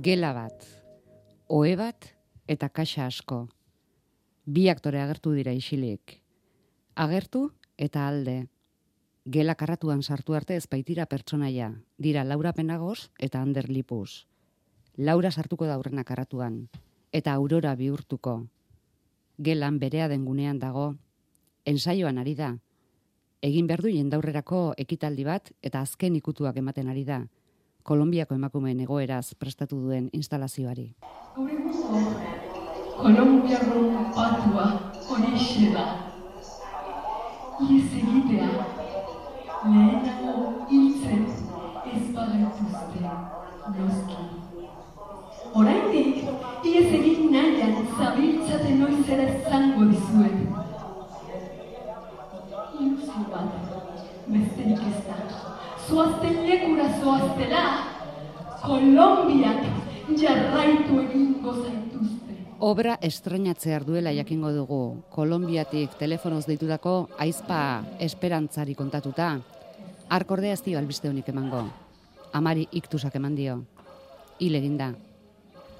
Gela bat, ohe bat eta kaxa asko. Bi aktore agertu dira isilik. Agertu eta alde. Gela karratuan sartu arte ez baitira pertsonaia. Dira Laura Penagos eta Ander Lipus. Laura sartuko da aurrena karratuan. Eta Aurora bihurtuko. Gelan berea dengunean dago. Ensaioan ari da. Egin behar du jendaurrerako ekitaldi bat eta azken ikutuak ematen ari da. Kolonbiako emakumeen egoeraz prestatu duen instalazioari. Kolonbiako patua horixe da. Iez egitea, lehenago hiltzen ez bagaituzte noski. Oraindik, iez egin nahian zabiltzate noizera zango dizuet. Ilusio bat, besterik ez da. Zoazten lekura zoaztela, Kolonbiak jarraitu egingo zaituzte. Obra estreinatzear duela jakingo dugu. Kolonbiatik telefonoz deitutako aizpa esperantzari kontatuta. Arkordea ez dio albiste honik emango. Amari iktusak eman dio. Hil eginda.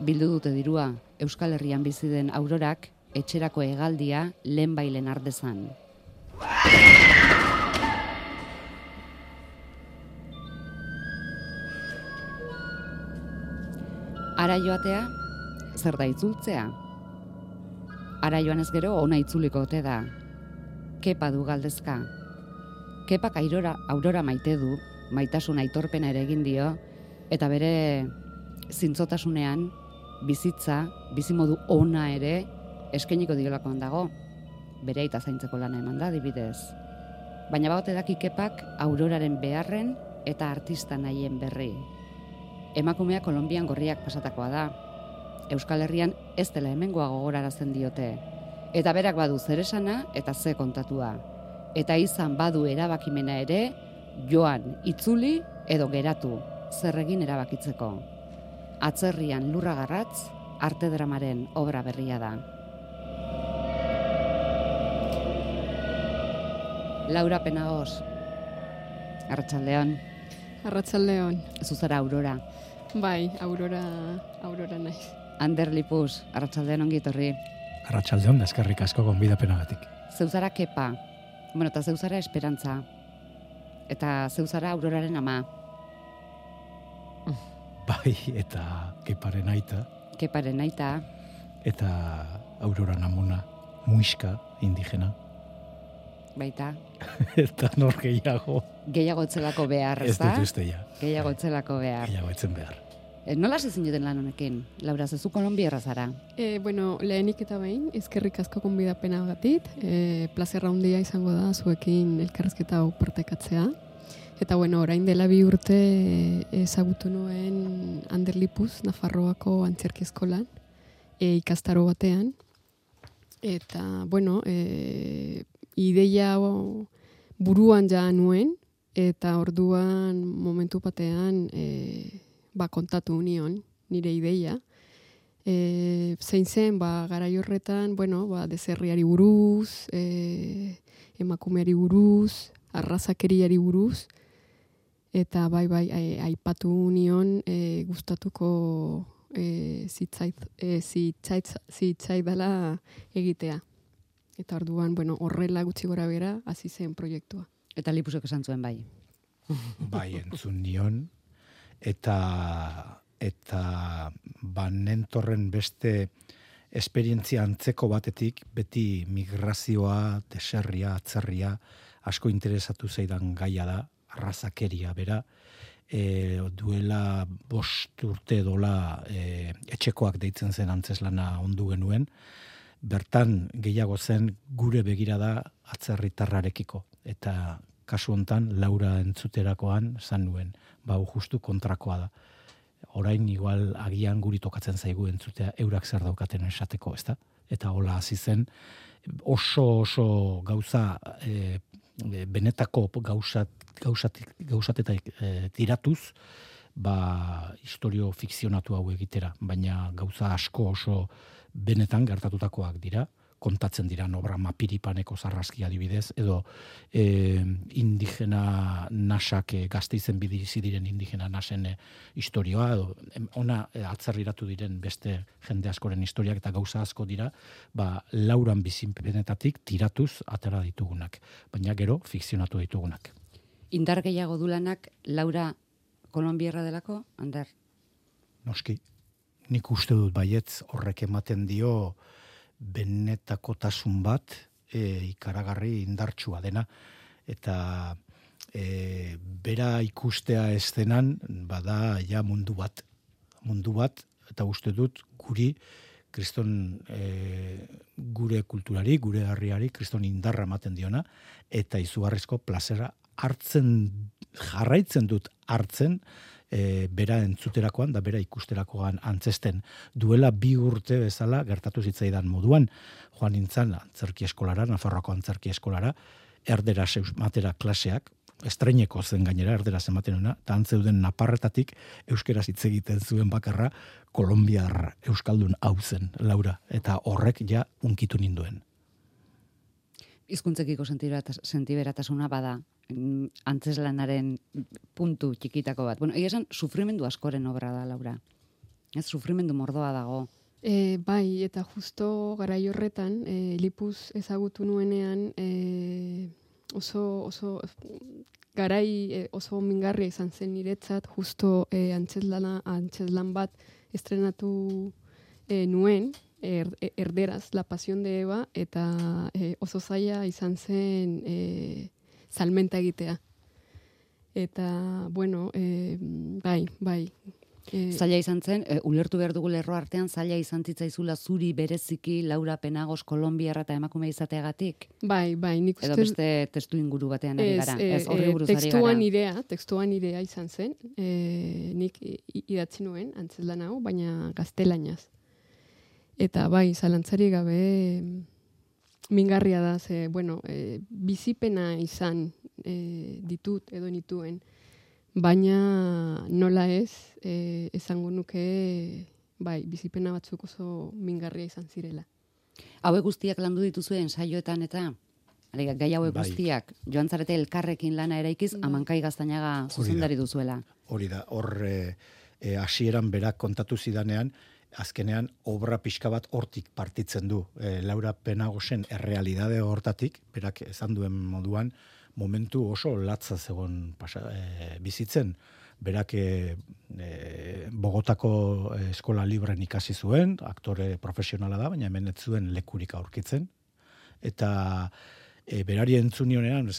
Bildu dute dirua, Euskal Herrian bizi den Aurorak etxerako hegaldia lehenbailen ardezan. Ara joatea, zer da itzultzea? Ara joan ez gero ona itzuliko ote da. Kepa du galdezka. Kepak Aurora maite du, maitasun aitorpena ere egin dio, eta bere zintzotasunean bizitza, bizimodu ona ere eskainiko diolakoan dago. Bere aita zaintzeko lana eman da, adibidez. Baina bagote daki Kepak Auroraren beharren eta artista nahien berri. Emakumea Kolonbian gorriak pasatakoa da. Euskal Herrian ez dela hemengoa gogorarazten diote. Eta berak badu zer esana eta ze kontatua. Eta izan badu erabakimena ere, joan, itzuli edo geratu, zer egin erabakitzeko. Atzerrian lurra garratz, arte dramaren obra berria da. Laura Penagos, arratsaldeon. Arratsaldeon. Zuzara Aurora. Bai, Aurora naiz. Ander Lipus, arratsaldeon ongi etorri. Arratsaldeon, eskerrik asko gonbidapenagatik. Zeuzara Kepa, eta zeuzara Esperantza. Eta zeuzara Auroraren ama. Bai, eta Keparen aita. Keparen aita. Eta Aurora namuna, muiska, indigena. Baita. Eta nor gehiago. Gehiago etzelako behar, ez da? Ez dut uste ja. Gehiago etzelako behar. Gehiago etzen behar. Nola zezin joten lan honekin? Laura, zezu Kolonbiarra zara? Lehenik eta behin, ezkerrik asko gonbidapenagatik. Plazerra handia izango da zuekin elkarrizketa hau partekatzea. Eta orain dela 2 urte ezagutu nuen Ander Lipus, Nafarroako antzerki eskolan, ikastaro batean. Eta, ideia buruan ja nuen, eta orduan momentu batean kontatu union nire ideia. Zein zen, garai horretan, deserriari buruz, emakumeari buruz, arrazakeriari buruz, eta aipatu union gustatuko zitzaidala egitea. Eta orduan, horrela gutxi gora bera, hasi zen proiektua. Eta Lipusek esan zuen bai. Bai, entzun nion, eta nentorren beste esperientzia antzeko batetik, beti migrazioa, deserria, atzerria, asko interesatu zaidan gaia da, arrazakeria bera, duela 5 urte dola etxekoak deitzen zen antzeslana ondu genuen, bertan gehiago zen gure begirada atzerritarrarekiko. Eta kasu hontan Laura entzuterakoan zan nuen, justu kontrakoa da. Orain igual agian guri tokatzen zaigu entzutea eurak zer daukaten esateko, ezta? Eta hola hasi zen oso gauza benetako gauzatetak tiratuz, historio fikzionatu hau egitera, baina gauza asko oso benetan gertatutakoak dira, kontatzen dira obra Mapiripaneko sarraskia adibidez, edo indigena nasak Gasteizen bizi diren indigena nasen historioa, edo ona atzerriratu diren beste jende askoren historiak eta gauza asko dira, lauran bizipenetatik tiratuz atera ditugunak, baina gero fikzionatu ditugunak. Indar gehiago du lanak Laura kolonbierra delako, Ander? Noski, nik uste dut baietz horrek ematen dio benetakotasun bat ikaragarri indartsua dena, eta bera ikustea eszenan bada ja mundu bat, eta uste dut guri kriston gure kulturari, gure herriari kriston indarra ematen diona, eta izugarrizko plazera jarraitzen dut hartzen, bera entzuterakoan da bera ikusterakoan antzesten. Duela 2 urte bezala gertatu zitzaidan moduan, joan nintzen antzerki eskolara, Nafarroako antzerki eskolara, erderaz matera klaseak, estreineko zen gainera erderaz ematen una, eta antzeuden naparretatik euskeraz hitz egiten zuen bakarra kolonbiar euskaldun hau zen, Laura, eta horrek ja unkitu ninduen. Hizkuntzekiko sentiberatasuna bada, antzeslanaren puntu txikitako bat. Bueno, esan sufrimendu askoren obra da, Laura. Ez, sufrimendu mordoa dago. Bai, eta justo garai horretan, Lipuz ezagutu nuenean, oso garai oso mingarria izan zen niretzat, justo antzeslan bat estrenatu nuen, erderaz, La Pasión de Eva, eta oso zaila izan zen salmenta egitea. Eta, bueno, bai. Zaila izan zen, ulertu behar dugu lerro artean, zaila izan zitzaizula zuri bereziki Laura Penagos kolonbiarra eta emakume izateagatik? Bai, nik uste... Edo beste testu inguru batean ari gara, ez horri buruz ari gara. Tekstuan idea izan zen, nik idatzi nuen, antzeslan hau, baina gaztelaniaz. Eta bai, zalantzari gabe mingarria da, bizipena izan ditut edo nituen, baina nola ez, esango nuke, bai, bizipena batzuk oso mingarria izan zirela. Hauek guztiak landu dituzue ensaioetan eta gai hauek guztiak, joan zarete elkarrekin lana eraikiz, Amankai Gaztañaga zuzendari duzuela. Hori da, hor hasieran berak kontatu zidanean, azkenean obra pixka bat hortik partitzen du. Laura Penagosen errealidade hortatik, berak esan duen moduan, momentu oso latza zegoen bizitzen. Berak Bogotako eskola libren ikasi zuen, aktore profesionala da, baina hemen ez zuen lekurik aurkitzen. Eta berari entzunionean,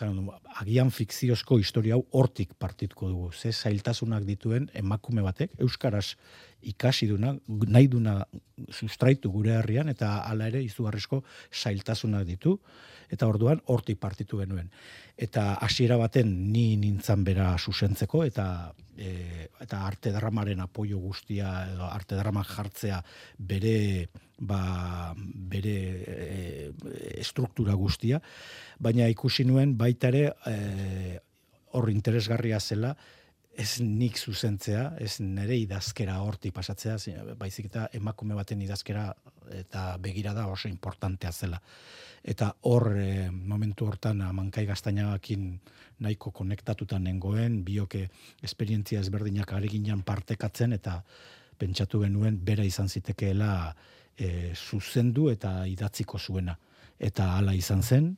agian fikziozko historia hau hortik partituko dugu. Ze zailtasunak dituen emakume batek, euskaraz ikasi duna, nahi duna sustraitu gure herrian, eta hala ere izugarrizko zailtasunak ditu, eta orduan hortik partitu genuen. Eta hasiera baten ni nintzan bera zuzentzeko, eta arte dramaren apoio guztia, edo arte dramak jartzea bere estruktura guztia, baina ikusi nuen baita ere hor interesgarria zela, ez nik zuzentzea, ez nire idazkera hortik pasatzea, baizik eta emakume baten idazkera eta begirada oso importantea zela. Eta hor, momentu hortan, Amankai Gaztañagakin nahiko konektatuta nengoen, bioke esperientzia ezberdinak areginan partekatzen, eta pentsatu genuen bera izan zitekeela zuzendu eta idatziko zuena. Eta hala izan zen,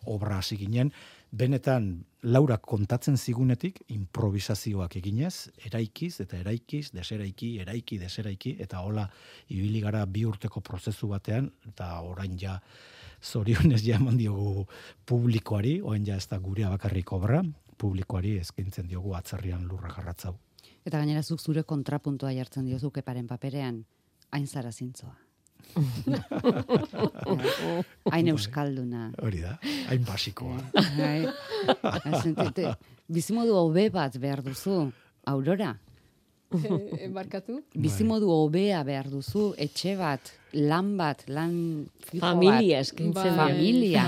obra hasi ginen, benetan Laura kontatzen zigunetik improvisazioak eginez, eraikiz, deseraiki, eta hola ibili gara 2 urteko prozesu batean, eta orain ja zorionez ja eman diogu publikoari, orain ja ez da gurea bakarrik obra, publikoari eskaintzen diogu atzerrian lurra garratzau. Eta gainera zuk zure kontrapuntua jartzen diozu Keparen paperean, hain zara zintzoa. Hain euskalduna. Hori da, hain basikoa. Bizimodu hobe bat behar duzu, Aurora. Barkatu? Bizimodu hobea behar duzu, etxe bat, lan fijo bat. Familia eskintzen. Familia.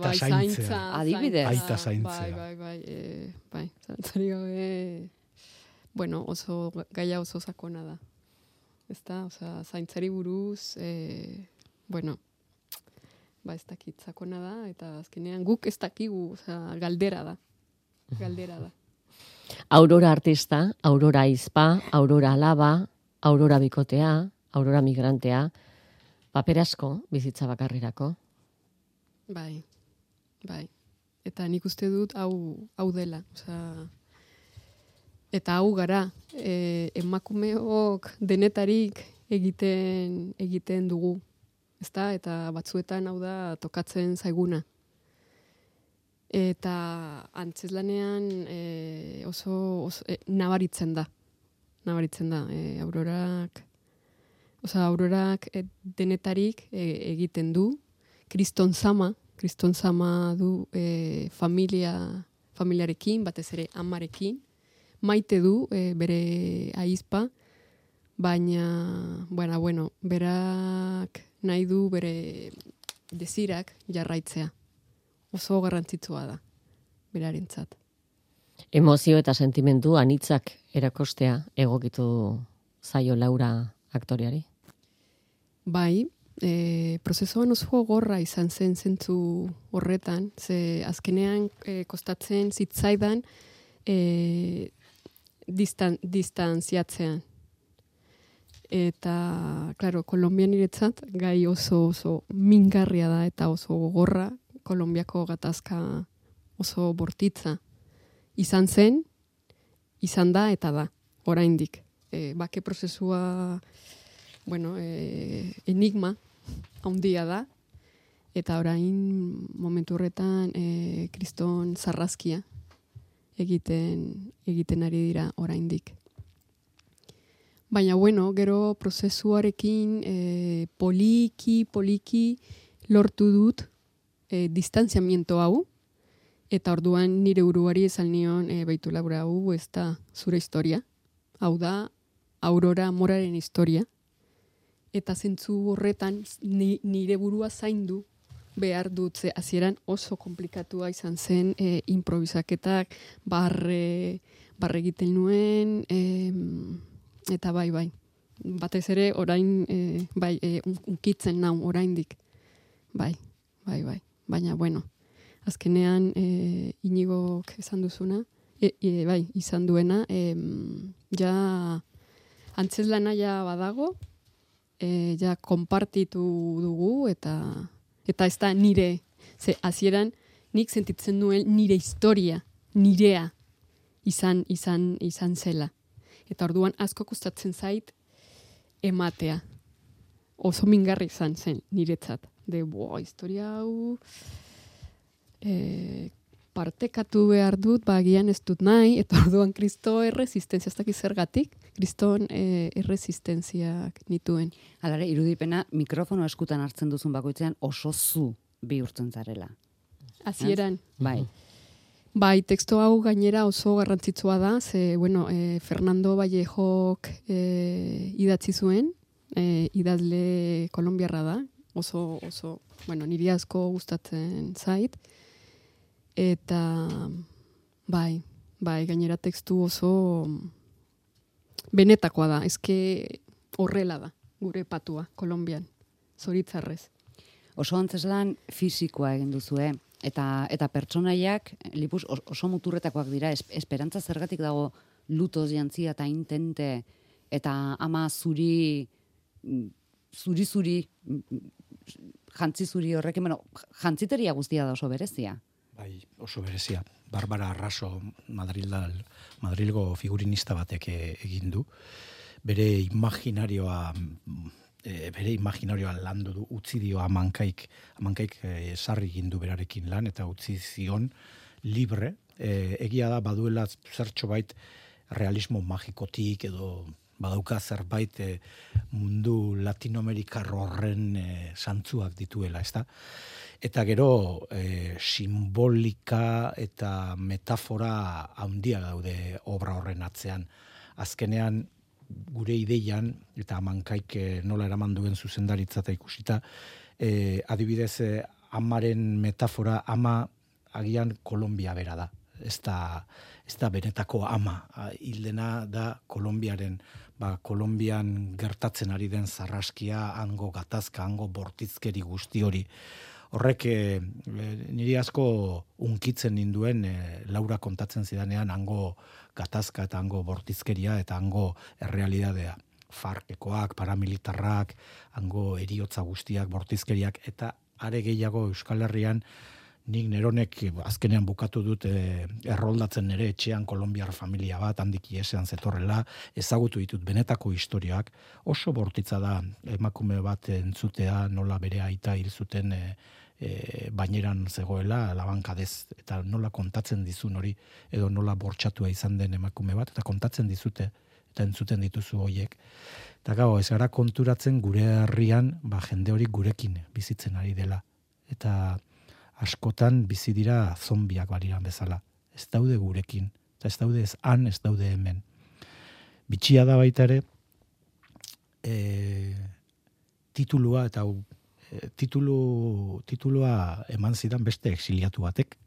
Bai, zaintza. Adibidez. Aita zaintzea. Bai, zaintzari gabe, bueno, oso gaia oso sakona da. Ezta, zaintzari buruz, bueno, ez dakit sakona da, eta azkenean guk ez dakigu, galdera da. Aurora artista, Aurora aizpa, Aurora alaba, Aurora bikotea, Aurora migrantea, paper asko bizitza bakarrirako. Bai. Eta nik uste dut hau dela, eta hau gara, emakumeok denetarik egiten dugu, ezta? Eta batzuetan hau da tokatzen zaiguna. Eta antzezlanean oso nabaritzen da. Aurorak denetarik egiten du, kriston zama du familiarekin, batez ere amarekin, maite du bere aizpa, baina, berak nahi du bere desirak jarraitzea. Oso garrantzitsua da, berarentzat. Emozio eta sentimendu anitzak erakostea egokitu zaio Laura aktoreari? Bai, prozesuan oso gorra izan zen zentzu horretan, ze azkenean kostatzen zitzaidan distantziatzean. Eta, klaro, Kolonbian niretzat gai oso mingarria da eta oso gogorra, Kolonbiako gatazka oso bortitza izan zen, izan da eta da, oraindik. Bake prozesua, enigma handia da, eta orain momentu horretan kriston zarrazkia egiten ari dira oraindik. Baina, gero prozesuarekin poliki lortu dut distantziamiento hau, eta orduan nire buruari esan nion, baitu Laura, hau ez da zure historia, hau da Aurora Moraren historia, eta zentzu horretan nire burua zaindu behar dut, ze hasieran oso komplikatua izan zen, improvisaketak, barre egiten nuen, eta bai. Batez ere, orain, unkitzen nau, oraindik. Bai. Baina, azkenean Inigok esan duzuna, izan duena, ja antzeslana ja badago, ja konpartitu dugu, eta ez da nire, ze hasieran nik sentitzen nuen nire historia, nirea izan zela. Eta orduan asko kostatzen zait ematea. Oso mingarri izan zen niretzat. Historia hau partekatu behar dut, agian ez dut nahi, eta orduan Kristo erresistenzia, ez dakit zergatik, Kriston erresistentziak nituen. Halare, irudipena mikrofono eskutan hartzen duzun bakoitzean oso zu bihurtzen zarela. Hasieran. Bai. Bai, teksto hau gainera oso garrantzitsua da, ze, Fernando Vallejok idatzi zuen, idazle kolonbiarra da, oso, niri asko gustatzen zait, eta bai, gainera tekstu oso benetakoa da, eske horrela da, gure patua, Kolonbian, zoritzarrez. Oso antzeslan fisikoa egin duzue, eta pertsonaiak, Lipus, oso muturretakoak dira, esperantza zergatik dago lutoz jantzia eta intente, eta ama zuri, jantzi zuri horrekin, jantziteria guztia da oso berezia. Bai, oso berezia. Barbara Arraso, Madrilgo figurinista batek egin du. Bere imaginarioa landu du, utzi dio amankaik sarri egin du berarekin lan, eta utzi zion libre. Egia da, baduela zertxo bait realismo magikotik edo badauka zerbait mundu latinoamerikar horren santzuak dituela, ezta? Eta gero simbolika eta metafora handia daude obra horren atzean. Azkenean gure ideian, eta amankaik nola eraman duen zuzendaritza eta ikusita, adibidez amaren metafora, ama agian Kolombia bera da. Ez da benetako ama. Hildena da Kolombiaren, Kolombian gertatzen ari den zarraskia, hango gatazka, hango bortizkeri guzti hori. horrek niri asko unkitzen ninduen Laura kontatzen zidanean hango gatazka eta hango bortizkeria eta hango errealidadea. Farkekoak, paramilitarrak, hango eriotza guztiak, bortizkeriak, eta are gehiago Euskal Herrian nik neronek azkenean bukatu dut erroldatzen ere etxean kolombiar familia bat, handik iesean zetorrela, ezagutu ditut benetako historiak, oso bortitza da emakume bat entzutea nola bere aita hil zuten baineran zegoela, labankadez, eta nola kontatzen dizun hori, edo nola bortxatua izan den emakume bat, eta kontatzen dizute, eta entzuten dituzu hoiek. Eta gau, ez gara konturatzen gure herrian, jende hori gurekin bizitzen ari dela. Eta askotan bizi dira zombiak baliran bezala. Ez daude gurekin, eta ez daude ez han, ez daude hemen. Bitxia da baita ere, titulua, eta titulua eman zidan beste exiliatu batek.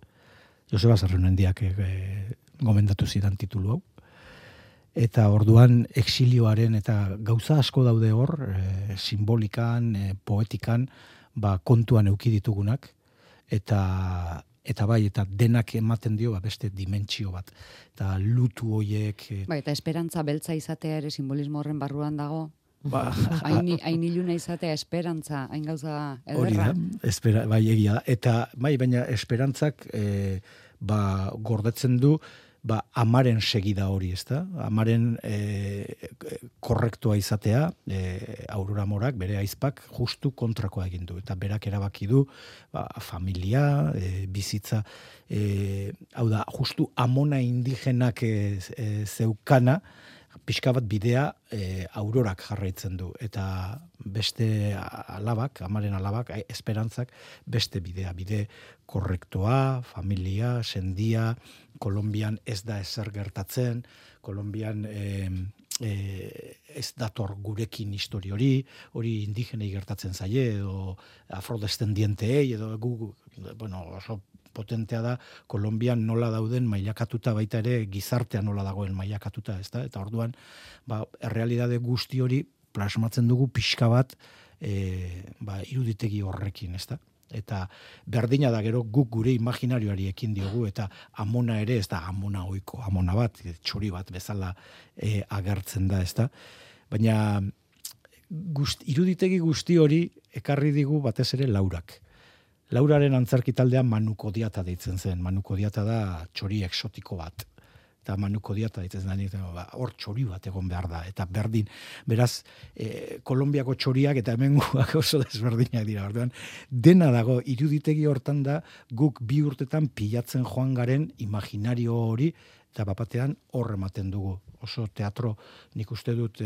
Joseba Zerrenendiak gomendatu zidan titulu hau. Eta orduan exilioaren eta gauza asko daude hor, simbolikan, poetikan, kontuan eduki ditugunak, eta bai, eta denak ematen dio beste dimentsio bat. Eta lutu hoiek... Eta esperantza beltza izatea ere simbolismo horren barruan dago. Hain iluna izatea esperantza, hain gauza ederra. Hori da, egia da. Eta baina esperantzak gordetzen du amaren segida hori, ezta? Amaren korrektua izatea, Aurora Morak, bere aizpak, justu kontrakoa egin du. Eta berak erabaki du, familia, bizitza, hau da, justu amona indigenak zeukana, pixka bat bidea Aurorak jarraitzen du. Eta beste alabak, amaren alabak, esperantzak, beste bidea, bide korrektoa, familia, sendia, Kolombian ez da ezer gertatzen, Kolombian ez dator gurekin histori hori indigenei gertatzen zaie, edo afrodescendienteei, edo oso potentea da, Kolombian nola dauden mailakatuta baita ere, gizartea nola dagoen mailakatuta, ezta? Eta orduan, errealidade guzti hori plasmatzen dugu pixka bat iruditegi horrekin, ezta? Eta berdina da gero guk gure imaginarioari ekin diogu, eta amona ere, ez da amona ohiko, amona bat, txori bat bezala agertzen da, ezta? Baina iruditegi guzti hori ekarri digu batez ere Laurak. Lauraren antzerki taldean Manuko Diata deitzen zen. Manuko Diata da txori exotiko bat. Eta Manuko Diata deitzen zen, hor txori bat egon behar da. Eta berdin, beraz, Kolombiako txoriak eta hemengoak oso desberdinak dira. Orduan, dena dago, iruditegi hortan da, guk 2 urtetan pilatzen joan garen imaginario hori, eta bapatean hor ematen dugu. Oso teatro, nik uste dut,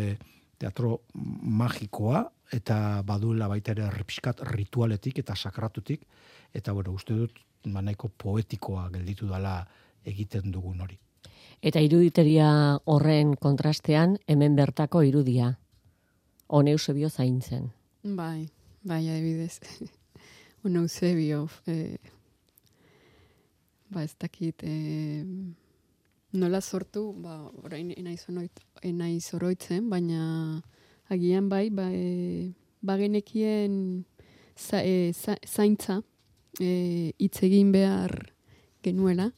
teatro magikoa, eta baduela baita ere pixkat ritualetik eta sakratutik, eta uste dut nahiko poetikoa gelditu dela egiten dugun hori. Eta iruditeria horren kontrastean, hemen bertako irudia. One Eusebio zaintzen. Bai, adibidez. One Eusebio, ez dakit, nola sortu, orain enaiz oroitzen, baina agian bagenekien zaintza hitz egin behar genuela,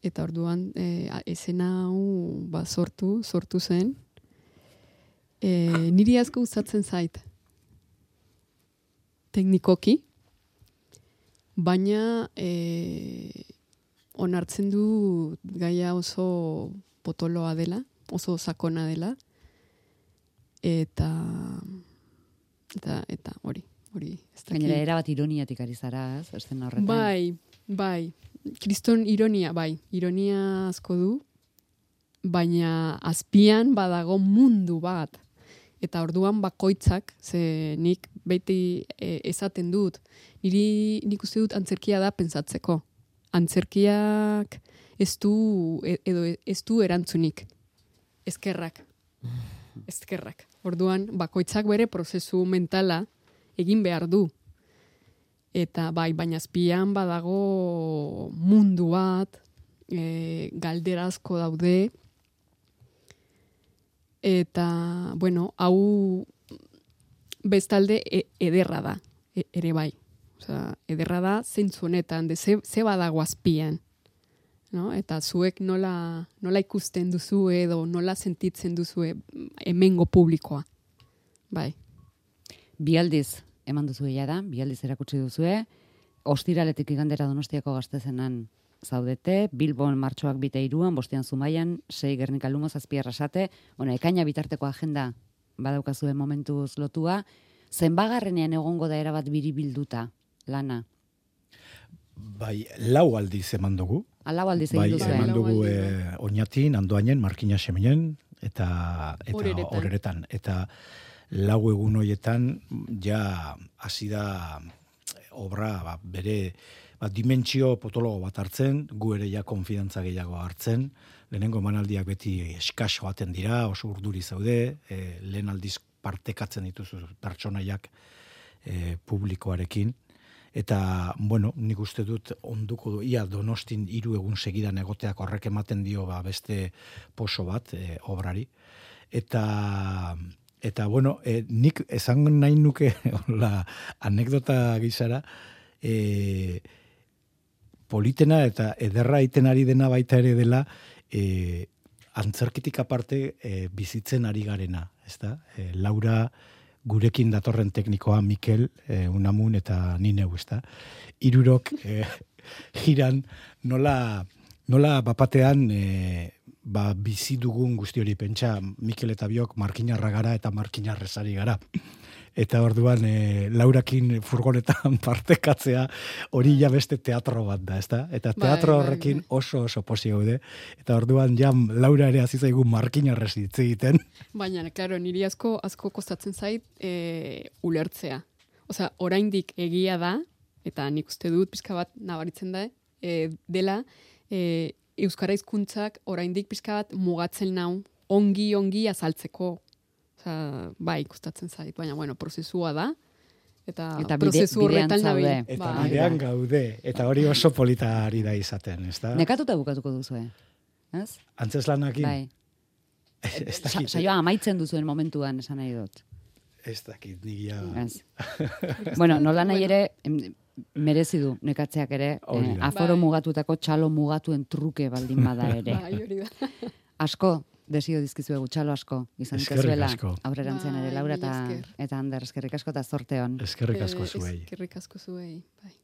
eta orduan esena hau sortu zen. Niri asko gustatzen zait teknikoki, baina onartzen du gaia oso potoloa dela, oso sakona dela, eta hori. Gainera erabat ironiatik ari zara, eszena horretan. Bai, kriston ironia asko du, baina azpian badago mundu bat, eta orduan bakoitzak, ze nik beti esaten dut, nik uste dut antzerkia da pentsatzeko. Antzerkiak ez du erantzunik. Eskerrak. Orduan, bakoitzak bere prozesu mentala egin behar du. Eta baina azpian badago mundu bat, galderazko daude, eta, hau bestalde ederra da, ere bai. Osea, ederra da zeintzu honetan, ze badago azpian. No? Eta zuek nola ikusten duzu edo nola sentitzen duzu hemengo publikoa. Bai. Bi aldiz eman duzu da, bi aldiz erakutsi duzue, ostiraletik igandera Donostiako Gaztezenan zaudete, Bilbon martxoak 2 bostean Zumaian, 6 Gernika Lumo, 7 Arrasate, ekaina bitarteko agenda badaukazuen momentuz lotua, zenbagarrenean egongo da erabat biribilduta lana? Bai, 4 aldiz eman dugu. 4 aldiz egin duzu. Bai, eman dugu Oñatin, Andoainen, Markina Xemenen, eta Horeretan. Eta 4 egun horietan ja hasi da obra bere dimentsio potologo bat hartzen, gu ere ja konfidantza gehiago hartzen, lehenengo emanaldiak beti eskas joaten dira, oso urduri zaude, lehen aldiz partekatzen dituzu pertsonaiak publikoarekin, eta, bueno, nik uste dut onduko du, ia Donostin 3 egun segidan egoteak horrek ematen dio beste poso bat obrari, eta bueno, nik esan nahi nuke anekdota gizara, politena eta ederra iten ari dena baita ere dela, antzerkitik aparte bizitzen ari garena, ezta? Laura gurekin datorren teknikoa, Mikel, Unamun eta Nineu, ezta? 3 jiran nola bapatean bizi dugun guzti hori, pentsa Mikel eta biok markinarra gara eta markinarrezari gara. Eta orduan Laurakin furgonetan partekatzea hori ja beste teatro bat da, ezta? Eta teatro horrekin oso posi gaude. Eta orduan ja Laura ere hasi zaigu markinarrez hitz egiten. Baina, claro, niri asko kostatzen zait ulertzea. Osea, oraindik egia da, eta nik uste dut pizka bat nabaritzen da, dela euskara hizkuntzak oraindik pizka bat mugatzen nau ongi azaltzeko. Osea, bai, kostatzen zait, baina bueno, prozesua da. Eta prozesu horretan nabil. Eta bidean gaude, eta hori oso polita ari da izaten, ezta? Nekatuta bukatuko duzue, ez? Antzeslanakin? Bai. Saioa amaitzen duzuen momentuan esan nahi dut. Ez dakit, nigia... Bueno, nola nahi ere, merezi du nekatzeak ere, aforo mugatutako txalo mugatuen truke baldin bada ere. Bai, hori da. Asko, desio dizkizuegu txalo asko, izan dituzuela, aurrerantzean ere, Laura eta Ander, eskerrik asko eta zorte hon. Eskerrik asko zuei. Eskerrik asko zuei, bai.